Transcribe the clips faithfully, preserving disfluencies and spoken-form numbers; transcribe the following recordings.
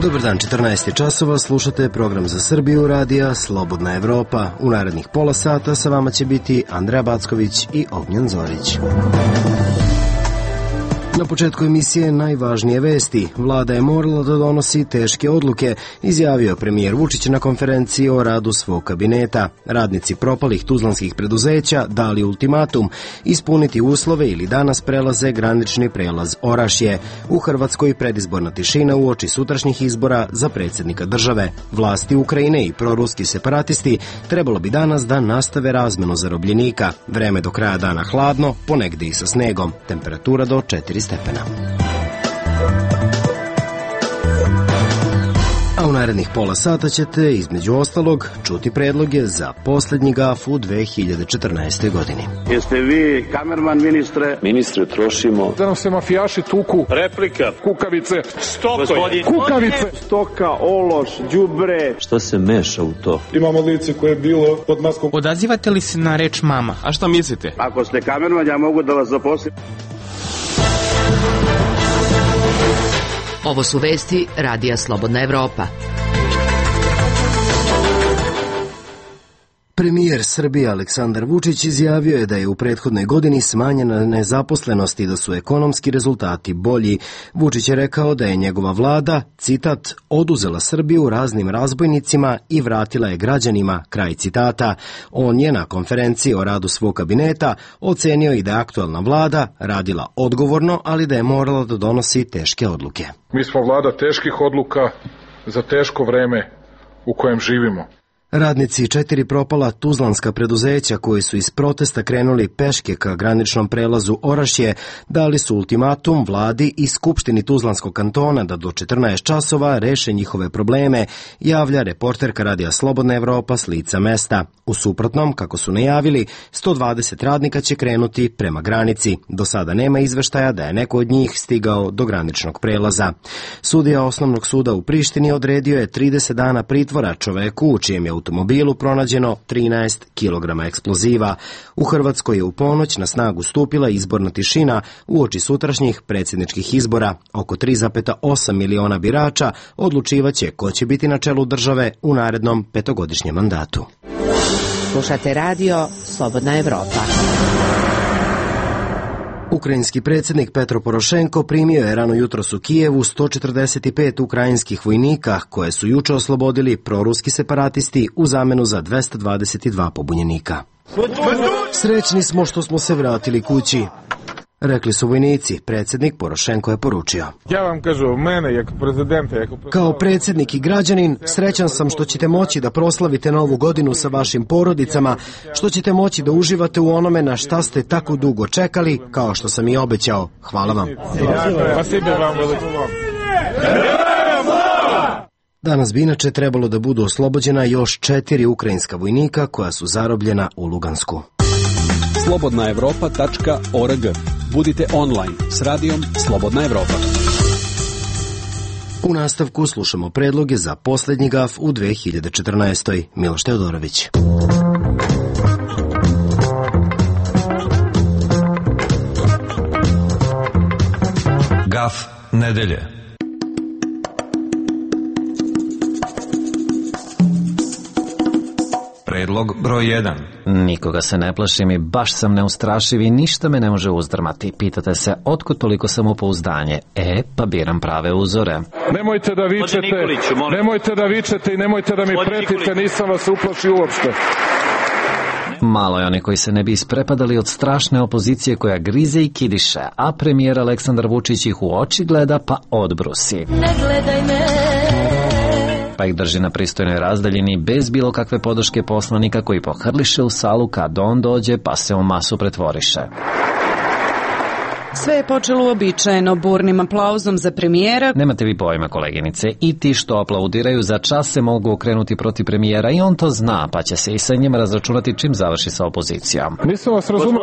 Dobar dan, četrnaest časova, slušate program za Srbiju radija Slobodna Evropa. U narednih pola sata sa vama će biti Andreja Backović i Ognjen Zorić. Na početku emisije najvažnije vesti. Vlada je morala da donosi teške odluke, izjavio premijer Vučić na konferenciji o radu svog kabineta. Radnici propalih tuzlanskih preduzeća dali ultimatum ispuniti uslove ili danas prelaze granični prelaz Orašje. U Hrvatskoj predizborna tišina uoči sutrašnjih izbora za predsjednika države. Vlasti Ukrajine i proruski separatisti trebalo bi danas da nastave razmenu zarobljenika. Vreme do kraja dana hladno, ponegde i sa snegom. Temperatura do četiri stepena. A u narednih pola sata ćete, između ostalog, čuti predloge za posljednji gaf u dve hiljade četrnaestoj godini. Jeste vi kamerman, ministre? Ministre, trošimo. Da nam se mafijaši tuku. Replika. Kukavice. Stokoj. Kukavice. Stoka, ološ, đubre. Šta se meša u to? Imamo lice koje je bilo pod maskom. Odazivate li se na reč mama? A šta mislite? Ako ste kamerman, ja mogu da vas zaposlim. Ovo su vesti Radija Slobodna Evropa. Premijer Srbije Aleksandar Vučić izjavio je da je u prethodnoj godini smanjena nezaposlenost i da su ekonomski rezultati bolji. Vučić je rekao da je njegova vlada, citat, oduzela Srbiju raznim razbojnicima i vratila je građanima, kraj citata. On je na konferenciji o radu svog kabineta ocenio i da je aktualna vlada radila odgovorno, ali da je morala da donosi teške odluke. Mi smo vlada teških odluka za teško vreme u kojem živimo. Radnici četiri propala tuzlanska preduzeća koji su iz protesta krenuli peške ka graničnom prelazu Orašje dali su ultimatum vladi i Skupštini Tuzlanskog kantona da do četrnaest časova reše njihove probleme, javlja reporterka Radija Slobodna Evropa s lica mesta. U suprotnom, kako su najavili, sto dvadeset radnika će krenuti prema granici. Do sada nema izveštaja da je neko od njih stigao do graničnog prelaza. Sudija Osnovnog suda u Prištini odredio je trideset dana pritvora čoveku u čijem je automobilu pronađeno trinaest kilograma eksploziva. U Hrvatskoj je u ponoć na snagu stupila izborna tišina uoči sutrašnjih predsjedničkih izbora. Oko tri zarez osam miliona birača odlučivaće ko će biti na čelu države u narednom petogodišnjem mandatu. Slušate radio Slobodna Evropa. Ukrajinski predsjednik Petro Porošenko primio je rano jutros u Kijevu sto četrdeset pet ukrajinskih vojnika koje su juče oslobodili proruski separatisti u zamenu za dvesta dvadeset dva pobunjenika. Srećni smo što smo se vratili kući, rekli su vojnici. Predsjednik Porošenko je poručio. Ja vam kažu, mene, jako prezidenta, jako... Kao predsjednik i građanin, srećan sam što ćete moći da proslavite novu godinu sa vašim porodicama, što ćete moći da uživate u onome na šta ste tako dugo čekali, kao što sam i obećao. Hvala vam. Danas bi inače trebalo da budu oslobođena još četiri ukrajinska vojnika koja su zarobljena u Lugansku. slobodna evropa tačka org. Budite online s radijom Slobodna Evropa. U nastavku slušamo predloge za posljednji gaf u dve hiljade četrnaestoj. Miloš Teodorović. Gaf nedelje. Predlog broj jedan. Nikoga se ne plašim i baš sam neustrašiv i ništa me ne može uzdrmati. Pitate se, otkud toliko samopouzdanje? E, pa biram prave uzore. Nemojte da vičete, nemojte da vičete i nemojte da mi pretite, nisam vas uplašio uopšte. Malo je oni koji se ne bi isprepadali od strašne opozicije koja grize i kidiše, a premijer Aleksandar Vučić ih u oči gleda pa odbrusi. Ne gledaj me. Pa ih drži na pristojnoj razdaljini bez bilo kakve podrške poslanika koji pohrliše u salu kad on dođe pa se u masu pretvoriše. Sve je počelo uobičajeno burnim aplauzom za premijera. Nemate vi pojma, koleginice, i ti što aplaudiraju za čas se mogu okrenuti protiv premijera i on to zna, pa će se i sa njima razračunati čim završi sa opozicijom. Nisam vas razumio,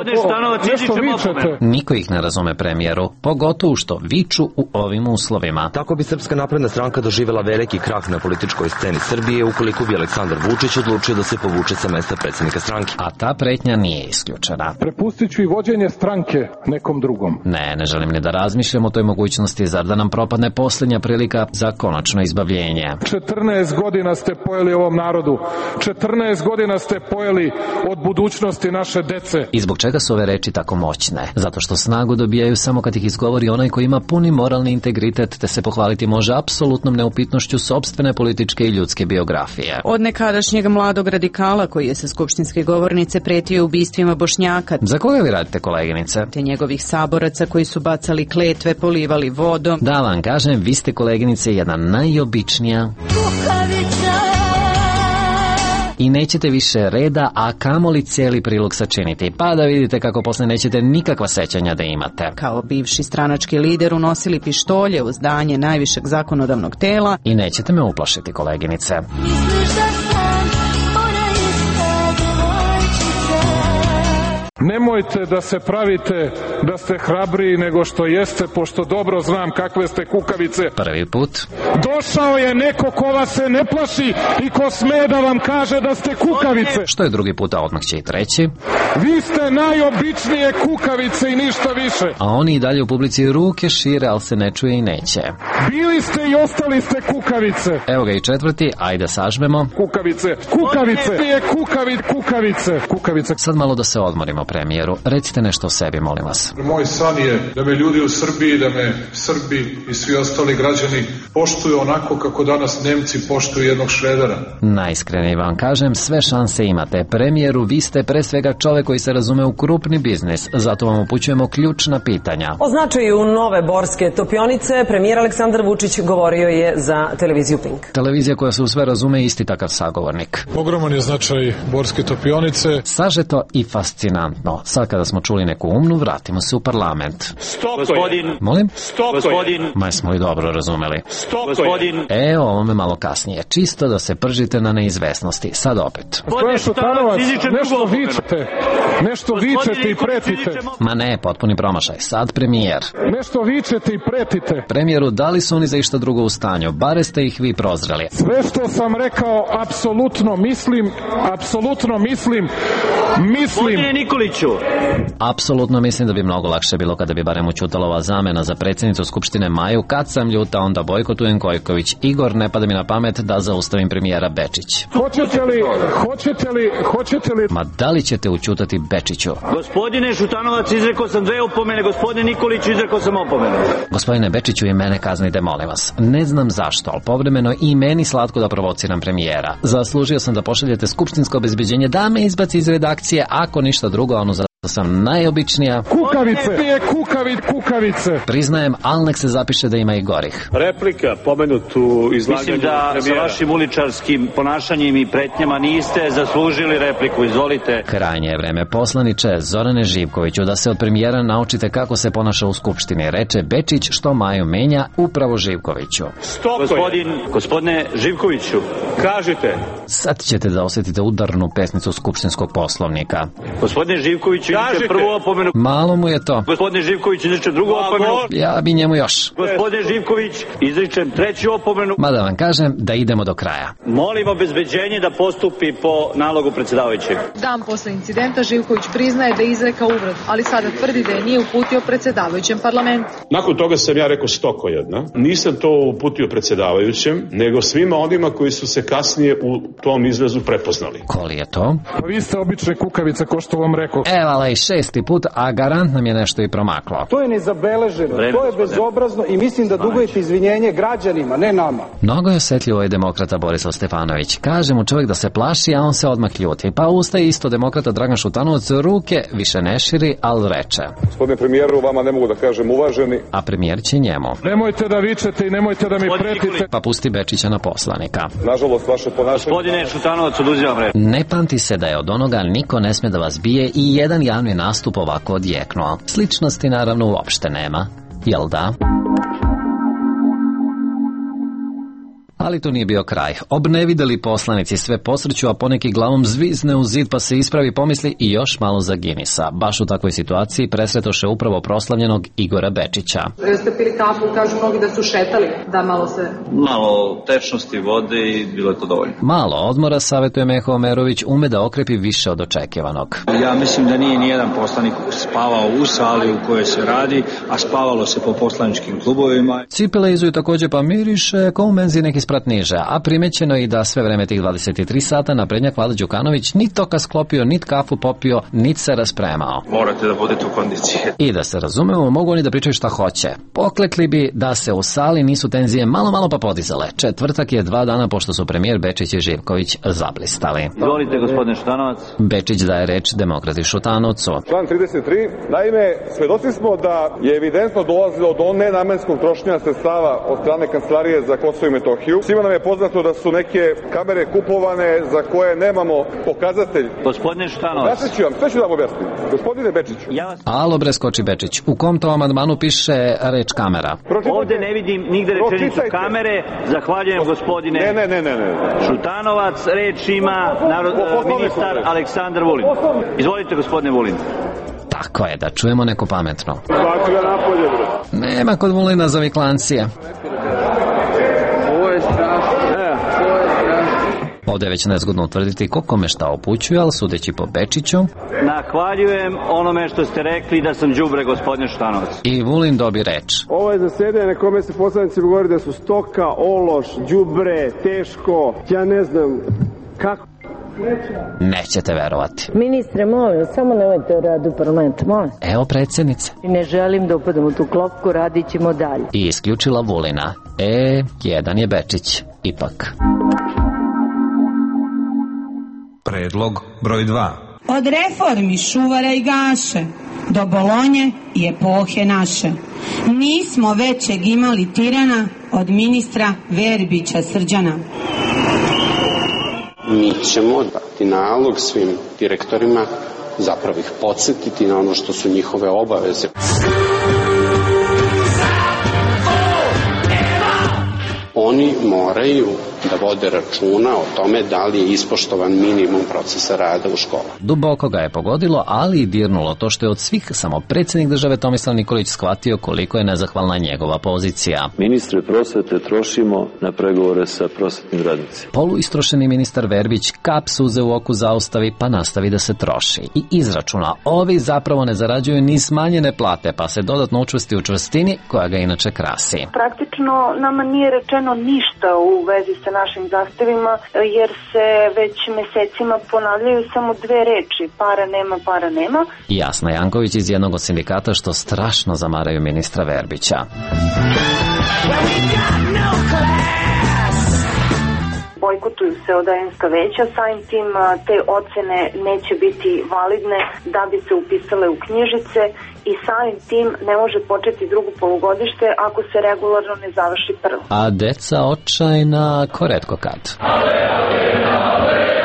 nešto vičete. Niko ih ne razume, premijeru, pogotovo što viču u ovim uslovima. Tako bi Srpska napredna stranka doživjela veliki krah na političkoj sceni Srbije ukoliko bi Aleksandar Vučić odlučio da se povuče sa mesta predsjednika stranke. A ta pretnja nije isključena. Prepustit ću i vođenje stranke nekom drugom. Ne, ne želim ni da razmišljam o toj mogućnosti, zar da nam propadne posljednja prilika za konačno izbavljenje. četrnaest godina ste pojeli ovom narodu. četrnaest godina ste pojeli od budućnosti naše dece. I zbog čega su ove reči tako moćne? Zato što snagu dobijaju samo kad ih izgovori onaj koji ima puni moralni integritet, te se pohvaliti može apsolutnom neupitnošću sopstvene političke i ljudske biografije. Od nekadašnjeg mladog radikala koji je sa skupštinske govornice pretio ubistvima Bošnjaka. Za koga vi radite, koleginice? Te njegovih saboraca koji su bacali kletve, polivali vodom. Da vam kažem, vi ste, koleginice, jedna najobičnija. I nećete više reda, a kamoli cijeli prilog sačiniti, pa da vidite kako posle nećete nikakva sećanja da imate. Kao bivši stranački lider unosili pištolje u zdanje najvišeg zakonodavnog tela. I nećete me uplašiti, koleginice. Nemojte da se pravite da ste hrabriji nego što jeste, pošto dobro znam kakve ste kukavice. Prvi put. Došao je neko ko vas se ne plaši i ko sme da vam kaže da ste kukavice. Što je drugi put, a odmah će i treći. Vi ste najobičnije kukavice i ništa više. A oni i dalje u publici ruke šire, ali se ne čuje i neće. Bili ste i ostali ste kukavice. Evo ga i četvrti, ajde sažmemo. Kukavice, kukavice, je kukavice, kukavice, kukavice. Sad malo da se odmorimo, premijeru. Recite nešto o sebi, molim vas. Moj san je da me ljudi u Srbiji, da me Srbi i svi ostali građani poštuju onako kako danas Nemci poštuju jednog Šredera. Najiskrenije vam kažem, sve šanse imate. Premijeru, vi ste pre svega čovek koji se razume u krupni biznis, zato vam upućujemo ključna pitanja. O značaju nove borske topionice premijer Aleksandar Vučić govorio je za televiziju Pink. Televizija koja se u sve razume isti takav sagovornik. Ogroman je značaj borske topionice. Sažeto i fascinantno. Sad kada smo čuli neku umnu, vratimo se u parlament. Stop, gospodin. Molim? Stop, gospodin. Ma smo i dobro razumeli. Stop, gospodin. E, o ovome malo kasnije. Čisto da se pržite na neizvesnosti. Sad opet. Gospodin Šutanovac, nešto vičete. Nešto vičete i pretite. Ma ne, potpuni promašaj. Sad premijer. Nešto vičete i pretite. Premijeru, da li su oni za išta drugo u stanju? Bare ste ih vi prozreli. Sve što sam rekao, apsolutno mislim, apsolutno mislim, mislim. Gospodine Nikoliću. Apsolutno mislim da bi mnogo lakše bilo kada bi barem učutala ova zamena za predsjednicu Skupštine Maju. Kad sam ljuta, onda bojkotujem Gojković. Igor, ne pada mi na pamet da zaustavim premijera Bečić. Hoćete li, hoćete li, hoćete li... Ma da li ćete učutati Bečiću? Gospodine Šutanovac, izrekao sam dve opomene, gospodine Nikoliću, izrekao sam opomenu. Gospodine Bečiću, i mene kaznite, molim vas. Ne znam zašto, ali povremeno i meni slatko da provociram premijera. Zaslužio sam da pošaljete skupštinsko obezbeđenje da me izbaci iz redakcije, ako ništa drugo, ono za sam najobičnija. Kukavice, je kukavic, kukavice. Priznajem, ali nek se zapiše da ima i gorih. Replika, pomenutu izlaganje. Mislim da premijera. Sa vašim uličarskim ponašanjem i pretnjama niste zaslužili repliku, izvolite. Krajnje je vreme, poslaniče Zorane Živkoviću, da se od premijera naučite kako se ponaša u Skupštini. Reče Bečić, što Maju menja, upravo Živkoviću. Stop, gospodin, gospodine Živkoviću, kažite. Sad ćete da osjetite udarnu pesnicu Skupštinskog poslovnika. Gospodine Živkoviću, izriče prvu opomenu. Malo mu je to. Gospodine Živković, izriče drugu opomenu. Ja bi njemu još. Gospodine Živković, izričem treću opomenu. Ma da vam kažem da idemo do kraja. Molim obezbeđenje da postupi po nalogu predsjedavajućeg. Dan posle incidenta Živković priznaje da je izrekao uvredu, ali sada tvrdi da je nije uputio predsjedavajućem parlamentu. Nakon toga sam ja rekao stoko jedna. Nisam to uputio predsjedavajućem, nego svima onima koji su se kasnije u tom izrazu prepoznali. Ko li je to? Pa vi ste obične kukavice, ko što vam rekao. Evo, ali i šesti put, a garant nam je nešto i promaklo. To je nezabeleženo, Vreme, to je bezobrazno i mislim da dugujete izvinjenje građanima, ne nama. Mnogo je osjetljivo i demokrata Borislav Stefanović. Kaže mu čovjek da se plaši, a on se odmah ljuti. Pa ustaje isto demokrata Dragan Šutanovac, ruke više ne širi, ali reče. Gospodine premijeru, vama ne mogu da kažem uvaženi. A premijer će njemu. Nemojte da vičete i nemojte da mi pretite. Pa pusti Bečića na poslanika. Nažalost, vaše ponašanje... Gospodine Šutanovac, oduzimam reč. Ne pamti se da je od onoga niko ne sme da vas bije i jedan javni nastup ovako odjeknu. krenuo. Sličnosti naravno uopšte nema, jel da? Ali to nije bio kraj. Obnevideli poslanici sve posreću, a poneki glavom zvizne u zid pa se ispravi, pomisli i još malo za Guinnessa. Baš u takvoj situaciji presretoše upravo proslavljenog Igora Bečića. Jeste pili kafu, kažu mnogi da su šetali, da malo se... Malo tečnosti vode i bilo je to dovoljno. Malo odmora, savjetuje Meho Omerović, ume da okrepi više od očekivanog. Ja mislim da nije nijedan poslanik spavao u sali u kojoj se radi, a spavalo se po poslaničkim klubovima. Cipele izuju također pa miriše ko u menzi neki sprat niže, a primećeno i da sve vreme tih dvadeset tri sata naprednjak Vlada Đukanović ni toka sklopio, nit kafu popio, nit se raspremao. Morate da budete u kondiciji. I da se razumemo, mogu oni da pričaju šta hoće. Poklekli bi da se u sali nisu tenzije malo malo pa podizale. Četvrtak je dva dana pošto su premijer Bečić i Živković zablistali. Izvolite, gospodine Šutanovac. Bečić daje reč Demokrati Šutanovcu. Član trideset tri. Naime, svedoci smo da je evidentno dolazilo do nenamenskog trošenja sredstava od strane Kancelarije za Kosovo i Metohiju. Svima nam je poznato da su neke kamere kupovane za koje nemamo pokazatelj. Gospodine Šutanovac. Objasnit ću vam, sve ću da vam objasnim. Gospodine Bečiću. Ja vas... Alo bre, skoči Bečić. U kom to amandmanu piše reč kamera? Pročitajte. Ovde ne vidim nigde rečenicu kamere. Zahvaljujem gospodine ne, ne, ne, ne, ne. Šutanovac. Reč ima narod, ministar Aleksandar Vulin. Izvolite, gospodine Vulin. Tako je, da čujemo neko pametno. Svaki ga napolje, bre. Nema kod Vulina zaviklancije. Ovo je strašno. Ovo je strašno. Ovdje je već nezgodno utvrditi ko kome šta upućuje, ali sudeći po Bečiću... Nahvaljujem onome što ste rekli da sam đubre, gospodine Šutanovac. I Vulin dobi reč. Ovo je zasedanje na kome se poslanici govori da su stoka, ološ, đubre, teško, ja ne znam kako... Nećete verovati. Ministre, molim, samo nemojte o radu parlamenta, molim. Evo predsjednice. Ne želim da upadam u tu klopku, radit ćemo dalje. I isključila Vulina. E, jedan je Bečić, ipak. Predlog broj dva. Od reformi Šuvara i Gaše do Bolonje i epohe naše. Nismo većeg imali tirana od ministra Verbića Srđana. Mi ćemo dati nalog svim direktorima, zapravo ih podsjetiti na ono što su njihove obaveze. Oni moraju da vode računa o tome da li je ispoštovan minimum procesa rada u školama. Duboko ga je pogodilo, ali i dirnulo to što je od svih samo predsjednik države Tomislav Nikolić shvatio koliko je nezahvalna njegova pozicija. Ministre prosvete trošimo na pregovore sa prosvetnim radnicima. Poluistrošeni ministar Verbić kap suze u oku zaustavi pa nastavi da se troši. I izračuna, ovi zapravo ne zarađuju ni smanjene plate, pa se dodatno učvrsti u čvrstini koja ga inače krasi. Praktično nama nije rečeno ništa u vezi sa našim zahtevima, jer se već mesecima ponavljaju samo dve reči, para nema, para nema. Jasna Janković iz jednog od sindikata što strašno zamaraju ministra Verbića. Bojkotuju se odajenska veća, samim tim te ocene neće biti validne da bi se upisale u knjižice i samim tim ne može početi drugo polugodište ako se regularno ne završi prvo. A deca očajna ko retko kad. Ale, ale, ale, ale.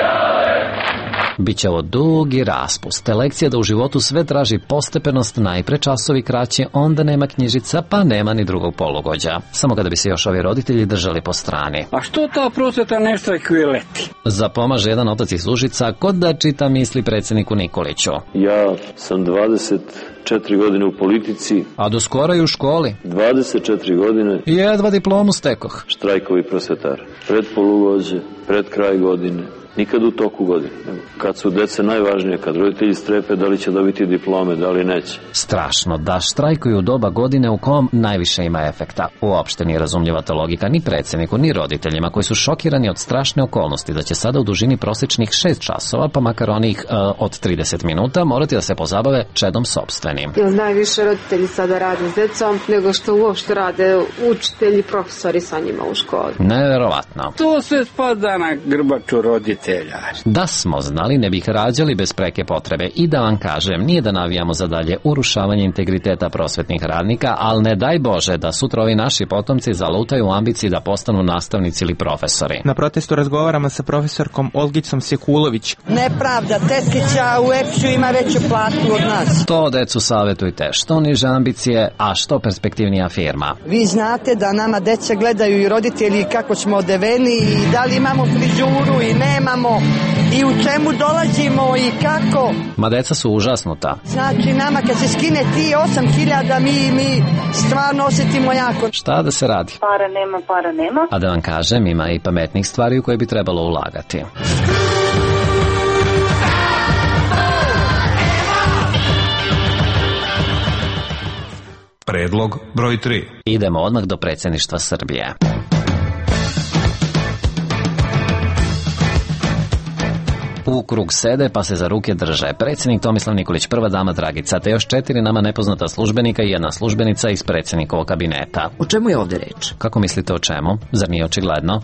Biće ovo dugi raspust, te lekcija da u životu sve traži postepenost, najpre časovi kraće, onda nema knjižica, pa nema ni drugog polugođa. Samo kada bi se još ovi roditelji držali po strani. A što ta prosveta ne štrajkuje leti? Zapomaže jedan otac iz Užica kod da čita misli predsjedniku Nikoliću. Ja sam dvadeset četiri godine u politici. A do skoro i u školi. dvadeset četiri godine. I jedva diplomu stekoh. Štrajkovi prosvetara. Pred polugođe, pred kraj godine. Nikad u toku godine. Kad su dece najvažnije, kad roditelji strepe da li će dobiti diplome, da li neće. Strašno da štrajkuju u doba godine u kom najviše ima efekta. Uopšte nije razumljiva ta logika ni predsjedniku, ni roditeljima koji su šokirani od strašne okolnosti da će sada u dužini prosječnih šest časova, pa makar onih uh, od trideset minuta, morati da se pozabave čedom sopstvenim. Jer najviše roditelji sada rade s decom nego što uopšte rade učitelji, profesori sa njima u školi. Neverovatno. To sve spada na grbaču roditelja. Da smo znali, ne bih rađali bez preke potrebe. I da vam kažem, nije da navijamo za dalje urušavanje integriteta prosvetnih radnika, ali ne daj Bože da sutra ovi naši potomci zalutaju u ambiciji da postanu nastavnici ili profesori. Na protestu razgovaramo sa profesorkom Olgicom Sekulović. Nepravda, tetkića u E P S-u ima veću platu od nas. To decu Vučiću savjetujte što niže ambicije, a što perspektivnija firma. Vi znate da nama deca gledaju i roditelji kako smo odeveni i da li imamo frizuru i nemamo i u čemu dolazimo i kako. Ma deca su užasnuta. Znači nama kad se skine ti osam hiljada mi, mi stvarno osjetimo jako. Šta da se radi? Para nema, para nema. A da vam kažem, ima i pametnih stvari u koje bi trebalo ulagati. Predlog broj tri. Idemo odmah do predsjedništva Srbije. U krug sede pa se za ruke drže predsjednik Tomislav Nikolić, prva dama Dragica, te još četiri nama nepoznata službenika i jedna službenica iz predsjednikovog kabineta. O čemu je ovdje reč? Kako mislite o čemu? Zar nije očigledno?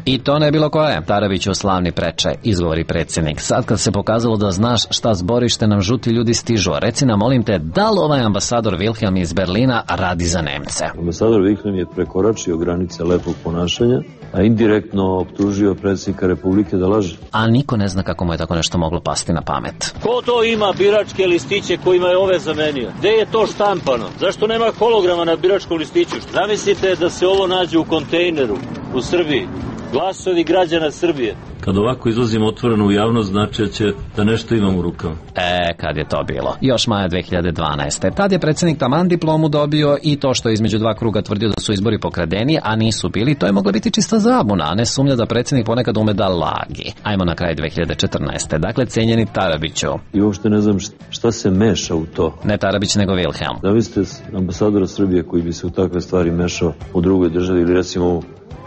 I to ne bilo koje. Tarabiću slavni preče, izgovori predsjednik. Sad kad se pokazalo da znaš šta zborište nam žuti ljudi stižu, reci nam, molim te, da li ovaj ambasador Wilhelm iz Berlina radi za Nemce? Ambasador Wilhelm je prekoračio granice lepog ponašanja, a indirektno optužio predsjednika Republike da laže. A niko ne zna kako mu je tako nešto moglo pasti na pamet. Ko to ima biračke listiće kojima je ove zamenio? Gde je to štampano? Zašto nema holograma na biračkom listiću? Zamislite da se ovo nađe u kontejneru u Srbiji. Glasovi građana Srbije. Kad ovako izlazim otvoreno u javnost, znači će da nešto imam u rukama. E, kad je to bilo? Još maja dve hiljade dvanaeste. Tad je predsjednik taman diplomu dobio i to što je između dva kruga tvrdio da su izbori pokradeni, a nisu bili, to je mogla biti čista zabuna, a ne sumnja da predsjednik ponekad ume da lagi. Ajmo na kraj dve hiljade četrnaeste. Dakle, cijenjeni Tarabiću. I uopšte ne znam šta se meša u to. Ne Tarabić, nego Wilhelm. Da vi ste ambasadora Srbije koji bi se u takve stvari mešao u drugoj državi ili recimo u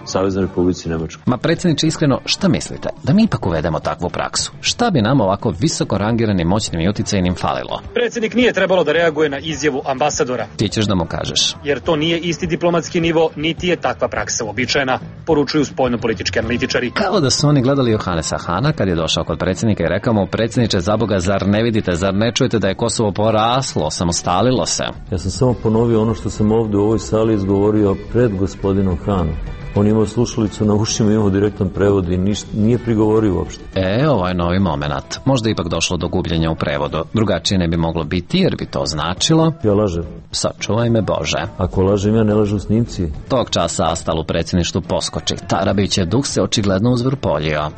Saveznoj Republici Nemačkoj. Ma predsjedniče, iskreno, šta mislite? Da mi ipak uvedemo takvu praksu? Šta bi nam ovako visoko rangiranim moćnim i uticajnim falilo? Predsjednik nije trebalo da reaguje na izjavu ambasadora. Ti ćeš da mu kažeš. Jer to nije isti diplomatski nivo, niti je takva praksa uobičajena, poručuju spoljnopolitički analitičari. Kao da su oni gledali Johanesa Hana kad je došao kod predsjednika i rekao mu, predsjedniče, za Boga, zar ne vidite, zar ne čujete da je Kosovo poraslo, samostalilo se? Ja sam samo ponovio ono što sam ovdje u ovoj sali izgovorio pred gospodinom Hanom. On imao slušalicu na ušima, imao direktan prevod i niš, nije prigovorio uopšte. E, ovo je novi moment. Možda ipak došlo do gubljenja u prevodu. Drugačije ne bi moglo biti, jer bi to značilo... Ja lažem. Sačuvaj me Bože. Ako lažem, ja ne lažu snimci. Tog časa Astal u predsjedništvu poskoči. Tarabićev duh se očigledno uzvrpoljio.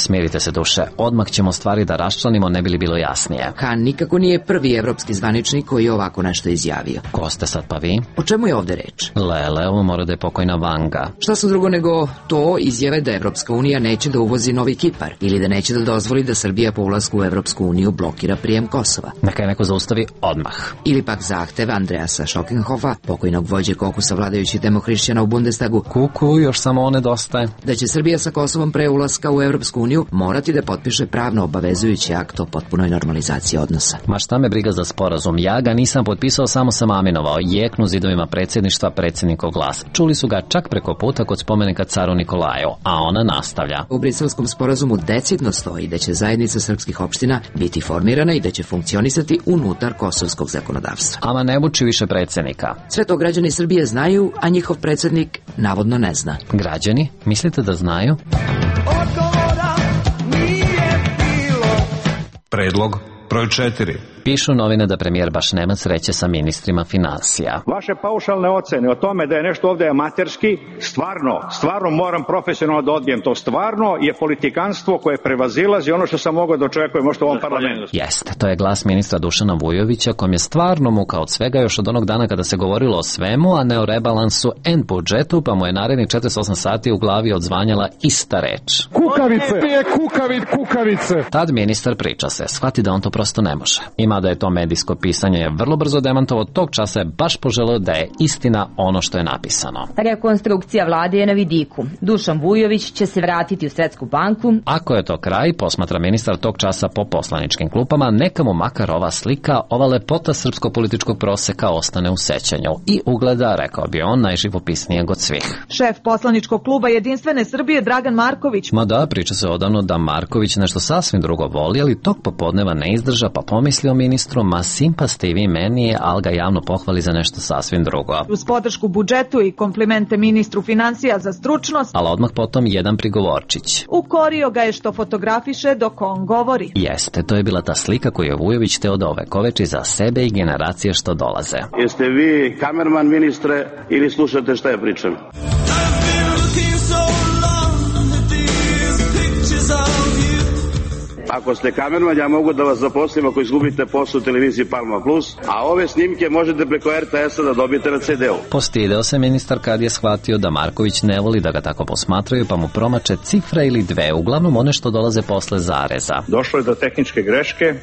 Smirite se, duše, odmah ćemo stvari da raščlanimo, ne bi li bilo jasnije. Han nikako nije prvi evropski zvaničnik koji je ovako nešto izjavio. Ko ste sad pa vi? O čemu je ovdje reč? Lele, ovo mora da je pokojna Vanga. Šta su drugo nego to izjave da Evropska unija neće da uvozi novi Kipar ili da neće da dozvoli da Srbija po ulasku u Evropsku uniju blokira prijem Kosova. Neka je neko zaustavi odmah. Ili pak zahtev Andreasa Schokenhofa, pokojnog vođe kokusa vladajućih demohrišćana u Bundestagu. Kuku, još samo one dostaje. Da će Srbija sa Kosovom pre ulaska u Evropsku uniju morati da potpiše pravno obavezujući akt o potpunoj normalizaciji odnosa. Ma šta me briga za sporazum, ja ga nisam potpisao, samo sam aminovao, jeknu zidovima predsjedništva predsjednikov glas. Čuli su ga čak preko puta kod spomenika caru Nikolaju, a ona nastavlja. U Briselskom sporazumu decidno stoji da će zajednica srpskih opština biti formirana i da će funkcionisati unutar kosovskog zakonodavstva. Ama ne buči više predsjednika. Sve to građani Srbije znaju, a njihov predsjednik navodno ne zna. Građani? Mislite da znaju? Predlog broj četiri. Pišu novine da premijer baš nema sreće sa ministrima finansija. Vaše paušalne ocene o tome da je nešto ovdje amaterski, stvarno, stvarno moram profesionalno da odbijem to. Stvarno je politikanstvo koje prevazilazi ono što sam mogao da očekujem možda u ovom parlamentu. Jeste, to je glas ministra Dušana Vujovića, kom je stvarno muka od svega još od onog dana kada se govorilo o svemu, a ne o rebalansu en budžetu, pa mu je narednih četrdeset osam sati u glavi odzvanjala ista reč. Kukavice! Je kukavic, kukavice! Tad ministar priča se, shvati da on to prosto ne može. Ima da je to medijsko pisanje je vrlo brzo demantovo, tog časa je baš poželeo da je istina ono što je napisano. Rekonstrukcija vlade je na vidiku. Dušan Vujović će se vratiti u Svetsku banku. Ako je to kraj, posmatra ministar tog časa po poslaničkim klupama, neka mu makar ova slika, ova lepota srpsko-političkog proseka ostane u sećanju i ugleda, rekao bi on, najživopisnijeg od svih. Šef poslaničkog kluba Jedinstvene Srbije Dragan Marković. Ma da, priča se odavno da Marković nešto sasvim drugo voli, ali tog popodneva ne izdrža, pa pomislio ministru, ma simpa ste i vi meni, ali ga javno pohvali za nešto sasvim drugo. Uz podršku budžetu i komplimente ministru financija za stručnost, ali odmah potom jedan prigovorčić. Ukorio ga je što fotografiše dok on govori. Jeste, to je bila ta slika koju je Vujović teo da ovekoveči za sebe i generacije što dolaze. Jeste vi kamerman, ministre, ili slušate šta ja pričam? Ako ste kamerman, ja mogu da vas zaposlim ako izgubite posao u televiziji Palma Plus, a ove snimke možete preko er te esa da dobijete na ce de u. Postideo se ministar kad je shvatio da Marković ne voli da ga tako posmatraju, pa mu promače cifra ili dve, uglavnom one što dolaze posle zareza. Došlo je do tehničke greške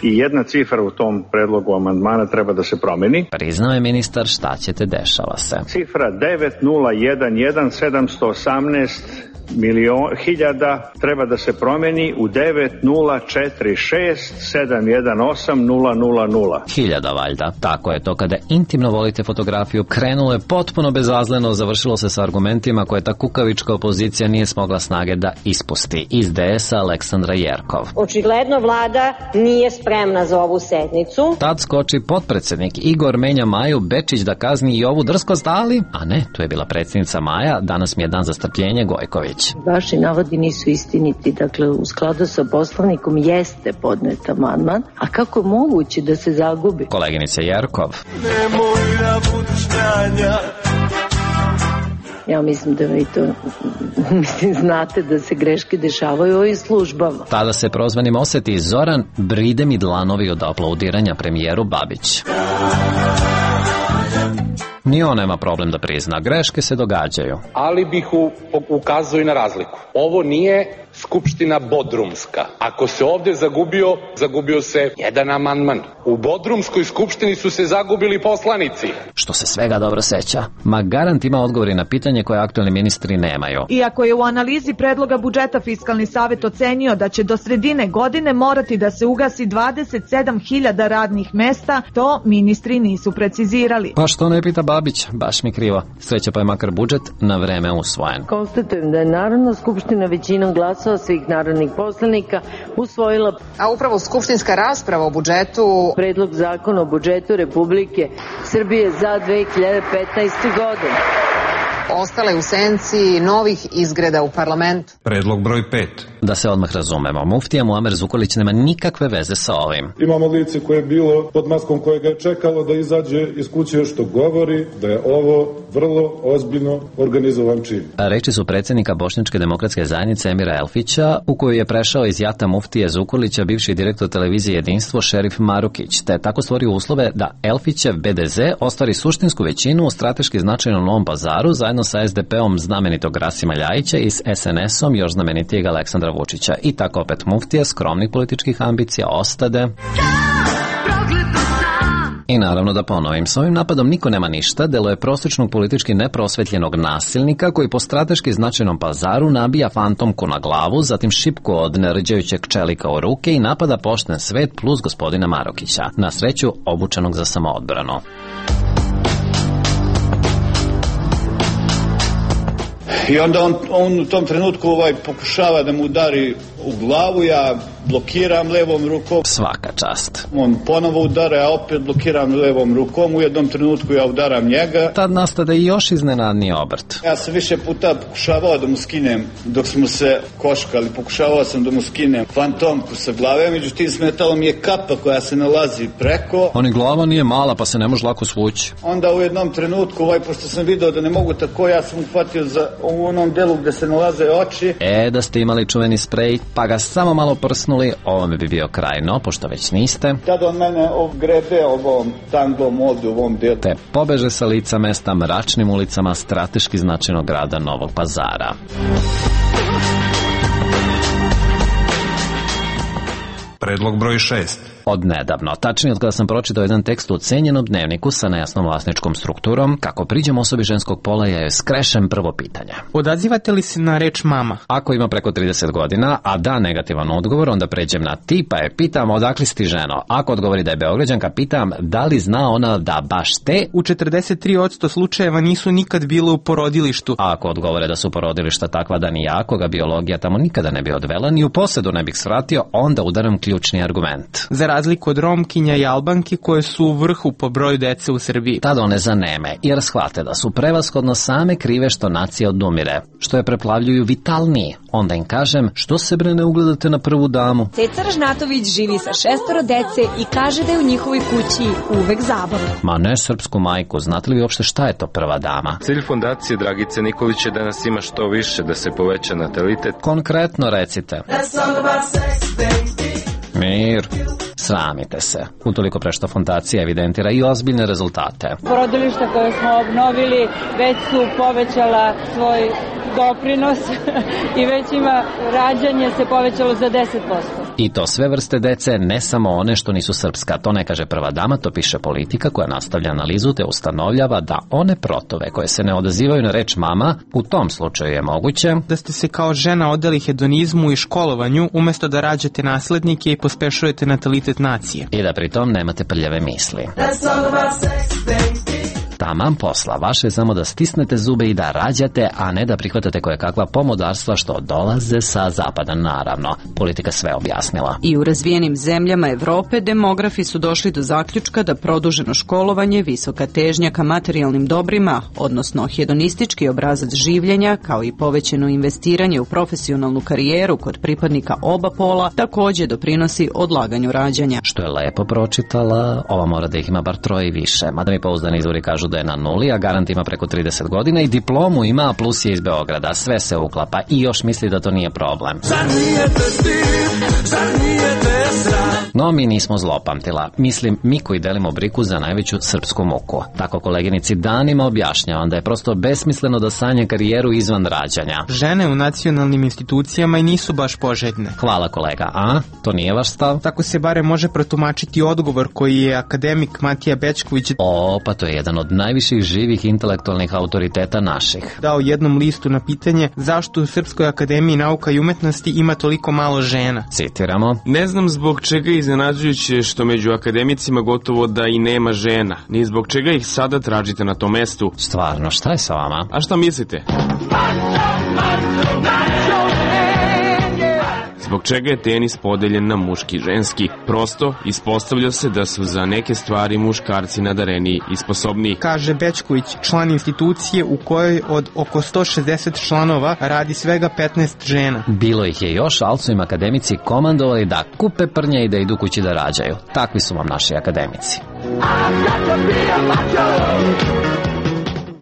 i jedna cifra u tom predlogu amandmana treba da se promeni. Priznao je ministar, šta ćete, dešava se. Cifra devet nula jedan jedan sedamsto osamnaest milion, hiljada treba da se promeni u devet nula četiri šest sedam jedan osam nula nula nula. Hiljada valjda. Tako je to kada intimno volite fotografiju. Krenulo je potpuno bezazleno, završilo se sa argumentima koje ta kukavička opozicija nije smogla snage da ispusti. Iz de esa Aleksandra Jerkov. Očigledno vlada nije spremna za ovu sednicu. Tad skoči potpredsednik Igor menja Maju Bečić da kazni i ovu drskost, ali, a ne, tu je bila predsjednica Maja, danas mi je dan za strpljenje, Gojković. Vaši navodi nisu istiniti, dakle u skladu sa poslovnikom jeste podnet amandman, a kako je moguće da se zagubi? Koleginice Jerkov. Nemoj da budiš kranja. Ja mislim da vi to mislim, znate da se greške dešavaju u ovim službama. Tada se prozvanim oseti Zoran bride mi dlanovi od aplaudiranja premijeru Babić. Ni on nema problem da prizna, greške se događaju. Ali bih u, ukazao i na razliku. Ovo nije Skupština Bodrumska. Ako se ovde zagubio, zagubio se jedan amandman. U Bodrumskoj skupštini su se zagubili poslanici. Što se svega dobro seća. Ma garant ima odgovori na pitanje koje aktualni ministri nemaju. Iako je u analizi predloga budžeta Fiskalni savet ocenio da će do sredine godine morati da se ugasi dvadeset sedam hiljada radnih mesta, to ministri nisu precizirali. Pa što ne pita Babić, baš mi krivo. Sreća pa je makar budžet na vreme usvojen. Konstatujem da je Narodna skupština većinom glasova svih narodnih poslanika usvojila, a upravo skupštinska rasprava o budžetu, predlog zakona o budžetu Republike Srbije za dve hiljade petnaestu. godinu. Ostale u senci novih izgreda u parlamentu. Predlog broj pet. Da se odmah razumemo, muftija Muamer Zukorlić nema nikakve veze sa ovim. Imamo lice koje je bilo pod maskom koje ga je čekalo da izađe iz kuće što govori da je ovo vrlo ozbiljno organizovan čin. Reči su predsjednika Bošnjačke demokratske zajednice Emira Elfića, u koju je prešao iz jata muftije Zukorlića bivši direktor televizije Jedinstvo Šerif Marukić, te tako stvorio uslove da Elfićev be de ze ostvari suštinsku većinu u strateški značajnom Novom Pazaru zajedno sa es de pe-om znamenitog Rasima Ljajića i s es en esom još znamenitijeg Aleksandra Vučića. I tako opet muftija skromnih političkih ambicija ostade. I naravno da ponovim, s ovim napadom niko nema ništa, delo je prosječnog politički neprosvetljenog nasilnika koji po strateški značajnom Pazaru nabija fantomku na glavu, zatim šipku od nerđajućeg čelika u ruke i napada pošten svet plus gospodina Marukića, na sreću obučenog za samoodbranu. I onda on, on u tom trenutku ovaj pokušava da mu udari u glavu, ja blokiram levom rukom. Svaka čast. On ponovo udara, ja opet blokiram levom rukom, u jednom trenutku ja udaram njega. Tad nastade i još iznenadni obrt. Ja sam više puta pokušavao da mu skinem, dok smo se koškali, pokušavao sam da mu skinem fantomku sa glave, međutim smetalo mi je kapa koja se nalazi preko. Oni glava nije mala pa se ne može lako svući. Onda u jednom trenutku, ovaj, pošto sam video da ne mogu tako, ja sam uhvatio za u onom delu gde se nalaze oči. E, da ste imali čuveni sprej, pa ga samo malo prsnuli, ovome bi bio kraj, no, pošto već niste. Tada on mene grebe ovom tanglom ovdje u ovom delu. Te pobeže sa lica mesta mračnim ulicama strateški značajnog grada Novog Pazara. Predlog broj šest. Od nedavno, tačnije od kada sam pročitao jedan tekst u cenjenom dnevniku sa nejasnom vlasničkom strukturom, kako priđem osobi ženskog pola, ja joj skrešem prvo pitanje. Odazivate li se na reč mama? Ako ima preko trideset godina, a da negativan odgovor, onda pređem na ti, pa je pitam odakle si ti ženo. Ako odgovori da je Beograđanka, pitam da li zna ona da baš te? U četrdeset tri posto slučajeva nisu nikad bile u porodilištu. A ako odgovore da su porodilišta takva da ni ja, koga biologija tamo nikada ne bi odvela, ni u posedu ne bih svratio, onda udaram ključ ključni argument. Za razliku od Romkinja i Albanki koje su u vrhu po broju dece u Srbiji. Tad one zaneme, jer shvate da su prevashodno same krive što nacija odumire, što je preplavljuju vitalniji. Onda im kažem, što se bre ne ugledate na prvu damu? Ceca Ražnatović živi sa šestoro dece i kaže da je u njihovoj kući uvek zabava. Ma ne srpsku majku, znate li uopšte šta je to prva dama? Cilj fondacije Dragice Nikolić je da nas ima što više, da se poveća natalitet. Konkretno recite. Mir. Sramite se. Utoliko pre što fondacija evidentira i ozbiljne rezultate. Porodilišta koje smo obnovili već su povećala svoj doprinos i već ima rađanje se povećalo za deset posto. I to sve vrste dece, ne samo one što nisu srpska. To ne kaže prva dama, to piše Politika koja nastavlja analizu te ustanovljava da one protove koje se ne odazivaju na reč mama, u tom slučaju je moguće da ste se kao žena odali hedonizmu i školovanju umesto da rađate naslednike i pospešujete natalitet nacije. I da pritom nemate prljave misli. Taman posla, vaše je samo da stisnete zube i da rađate, a ne da prihvatate koje kakva pomodarstva što dolaze sa zapada, naravno. Politika sve objasnila. I u razvijenim zemljama Evrope demografi su došli do zaključka da produženo školovanje, visoka težnja ka materijalnim dobrima, odnosno hedonistički obrazac življenja, kao i povećeno investiranje u profesionalnu karijeru kod pripadnika oba pola, također doprinosi odlaganju rađanja. Što je lepo pročitala, ova mora da ih ima bar troje i više, mada mi pouzdani izvori kažu da je na nuli, a garant ima preko trideset godina i diplomu ima, a plus je iz Beograda. Sve se uklapa i još misli da to nije problem. No, mi nismo zlopamtila. Mislim, mi koji delimo briku za najveću srpsku muku. Tako koleginici danima objašnjavam da je prosto besmisleno da sanja karijeru izvan rađanja. Žene u nacionalnim institucijama i nisu baš poželjne. Hvala kolega, a? To nije vaš stav? Tako se bare može protumačiti odgovor koji je akademik Matija Bećković O, pa to je jedan od najviših živih intelektualnih autoriteta naših. Dao jednom listu na pitanje zašto u Srpskoj akademiji nauka i umetnosti ima toliko malo žena. Citiramo. Ne znam zbog čega je iznenađujuće što među akademicima gotovo da i nema žena, ni zbog čega ih sada tražite na tom mestu. Stvarno, šta je sa vama? A šta mislite? Zbog čega je tenis podeljen na muški i ženski? Prosto, ispostavlja se da su za neke stvari muškarci nadareniji i sposobniji. Kaže Bećković, član institucije u kojoj od oko sto šezdeset članova radi svega petnaest žena. Bilo ih je još, ali su im akademici komandovali da kupe prnje i da idu kući da rađaju. Takvi su vam naši akademici.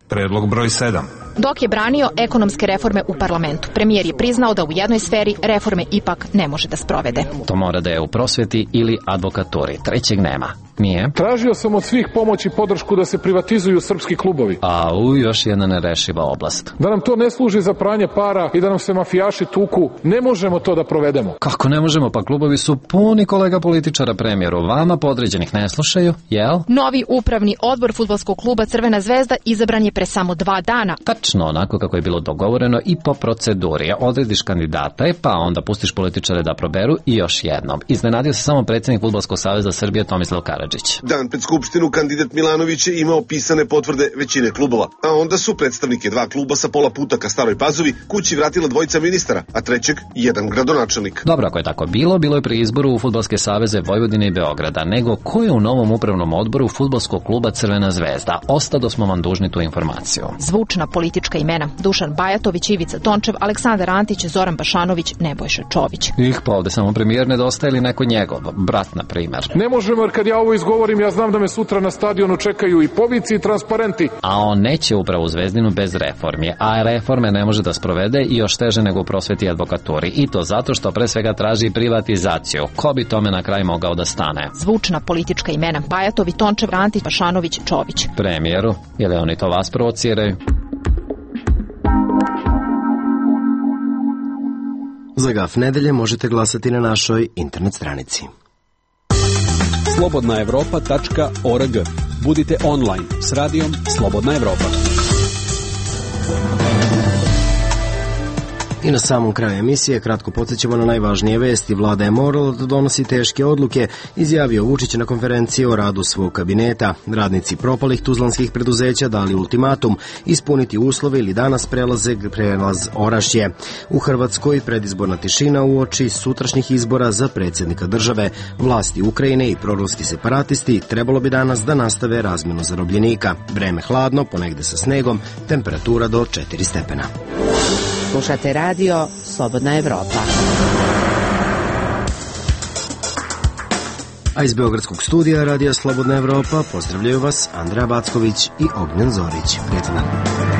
Predlog broj sedam. Dok je branio ekonomske reforme u parlamentu, premijer je priznao da u jednoj sferi reforme ipak ne može da sprovede. To mora da je u prosvjeti ili advokaturi. Trećeg nema. Nije? Tražio sam od svih pomoć i podršku da se privatizuju srpski klubovi. A u još jedna nerešiva oblast. Da nam to ne služi za pranje para i da nam se mafijaši tuku, ne možemo to da provedemo. Kako ne možemo? Pa klubovi su puni kolega političara premijeru. Vama podređenih ne slušaju, jel? Novi upravni odbor fudbalskog kluba Crvena zvezda izabran je pre samo dva dana. Tačno onako kako je bilo dogovoreno i po proceduri. Odrediš kandidata, pa onda pustiš političare da proberu i još jednom. Iznenadio se samo predsjednik Fudbalskog saveza Srbije Tomislav Karadžić. Dan pred skupštinu kandidat Milanović je imao pisane potvrde većine klubova, a onda su predstavnike dva kluba sa pola puta ka Staroj Pazovi kući vratila dvojica ministara, a trećeg jedan gradonačelnik. Dobro, ako je tako bilo, bilo je pri izboru u Fudbalske saveze Vojvodine i Beograda, nego ko je u novom upravnom odboru Fudbalskog kluba Crvena zvezda? Ostado smo vam dužni tu informaciju. Zvučna politička imena: Dušan Bajatović, Ivica Tončev, Aleksandar Antić, Zoran Bašanović, Nebojša Čović. Ih, pa ovde samo premijer nedostaje ili neko njegov, brat na primer. Ne možemo, jer kad ja ovo izgovorim, ja znam da me sutra na stadionu čekaju i povici i transparenti. A on neće upravo u Zvezdinu bez reformi, a reforme ne može da sprovede i još teže nego u prosveti i advokaturi. I to zato što pre svega traži privatizaciju. Ko bi tome na kraj mogao da stane? Zvučna politička imena: Bajatović, Tončev, Antić, Bašanović, Čović. Premijeru, je li oni to vas provociraju? Za Gaf nedelje možete glasati na našoj internet stranici. slobodna evropa tačka org. Budite online s radijom Slobodna Evropa. I na samom kraju emisije kratko podsjećamo na najvažnije vesti. Vlada je morala da donosi teške odluke, izjavio Vučić na konferenciji o radu svog kabineta. Radnici propalih tuzlanskih preduzeća dali ultimatum ispuniti uslove ili danas prelaze prelaz Orašje. U Hrvatskoj predizborna tišina uoči sutrašnjih izbora za predsjednika države. Vlasti Ukrajine i proruski separatisti trebalo bi danas da nastave razmjenu zarobljenika. Vreme hladno, ponegde sa snegom, temperatura do četiri stepena. Slušate radio Slobodna Evropa. A iz Beogradskog studija radija Slobodna Evropa pozdravljaju vas Andreja Backović i Ognjen Zorić. Prijatno dan.